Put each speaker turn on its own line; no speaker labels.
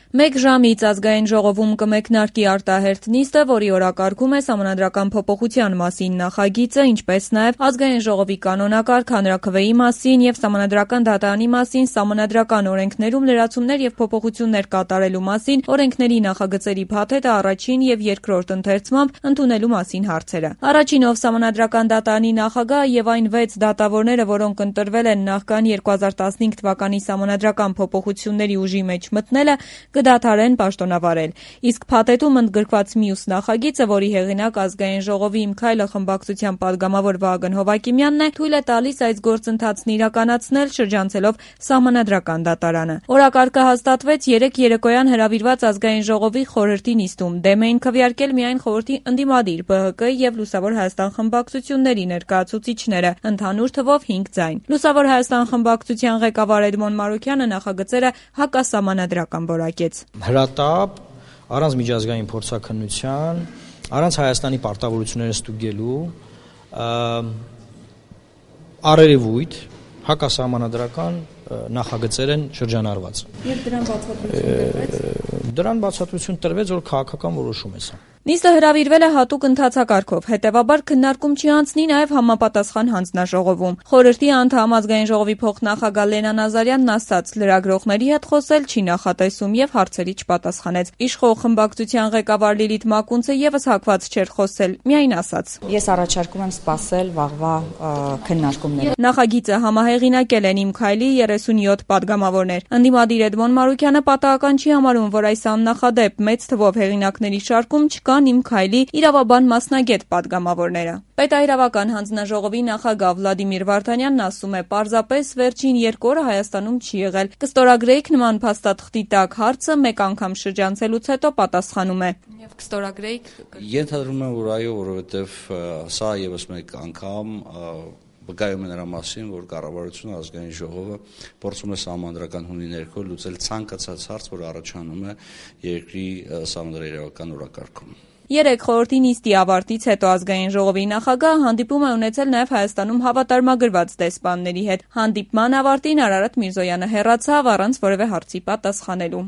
Մեկ ժամից ազգային ժողովում կմեկնարկի արտահերթ նիստը, որի օրակարգում է Սահմանադրական փոփոխության մասին նախագիծը, ինչպես նաև ազգային ժողովի կանոնակարգ, հանրաքվեի մասին և Սահմանադրական դատարանի մասին, սահմանադրական օրենքներում լրացումներ և փոփոխություններ կատարելու մասին, օրենքների նախագծերի փաթեթը առաջին և երկրորդ ընթերցմամբ ընդունելու մասին հարցերը։ Առաջինով Սահմանադրական դատարանի նախագահը և այն 6 դատավորները, որոնք ընտրվել են նախքան 2015 թվականի սահմանադրական փոփոխությունների ուժի մեջ մտնելը, կդադարեն պաշտոնավարել, իսկ փաթեթում ընդգրկված մյուս նախագիծը, որի հեղինակ ազգային ժողովի «Իմ քայլը» խմբակցության պատգամավոր Վահագն Հովհակիմյանն է, թույլ է տալիս այս գործընթացն իրականացնել շրջանցելով Սահմանադրական դատարանը։ Օրակարգը հաստատվեց 3 երեկոյան հրավիրված ազգային ժողովի խորհրդի նիստում։ Դեմ էին քվեարկել միայն խորհրդի ընդդիմադիր ԲՀԿ և Լուսավոր Հայաստան խմբակցությունների ներկայացուցիչները, ընդհանուր թվով 5 ձայն։ Լուսավոր Հայաստան խմբակցության ղեկավար Էդմոն Մարուքյանը նախագծերը հակասահմանադրական որակեց։
Հրատապ, առանց միջազգային փորձաքննության, առանց Հայաստանի պարտավորությունները ստուգելու, առերևույթ հակասահմանադրական նախագծեր են շրջանառված։
Եվ
դրան բացատրություն տրվեց, որ քաղաքական որոշում է սա։
Նիստը հրավիրվել է հատուկ ընթացակարգով, հետևաբար քննարկում չի անցնի նաև համապատասխան հանձնաժողովում։ Խորհրդի անդամ ազգային ժողովի փոխնախագահ Լենա Նազարյանն ասաց, լրագրողների հետ խոսել չի նախատեսում եւ հարցերի չպատասխանեց։ Իշխող խմբակցության ղեկավար Լիլիթ Մակունցը եւս հակված չէր խոսել, միայն ասաց.
Ես առաջարկում եմ սպասել վաղվա քննարկումները։
Նախագիծը համահեղինակել են «Իմ քայլի» 37 պատգամավորներ։ Ընդդիմադիր Էդմոն Մարուքյանը պատահական չի համարում, որ այս աննախադեպ մեծ թվով հեղինակների շարքում չկան «Իմ քայլի» իրավաբան մասնագետ պատգամավորները։ Պետահրավական հանձնաժողովի նախագահ Վլադիմիր Վարդանյանն ասում է, պարզապես վերջին 2 օրը Հայաստանում չի եղել։ Կստորագրեիք նման փաստաթղթի տակ հարցը մեկ անգամ շրջանցելուց հետո պատասխանում է։ Եվ կստորագրեիք։
Ենթադրում եմ, որ այո, որովհետև սա եւս մեկ անգամ վկայում է նրա մասին, որ կառավարությունը ազգային ժողովը փորձում է սահմանադրական հունի ներքո լուծել ցանկացած հարց, որ առաջանում է երկրի սահմանադրական օրակարգում։
3 խորհրդի նիստի ավարտից հետո ազգային ժողովի նախագահը հանդիպում է ունեցել նաև Հայաստանում հավատարմագրված դեսպանների հետ։ Հանդիպման ավարտին Արարատ Միրզոյանը հեռացավ առանց որևէ հարցի պատասխանելու։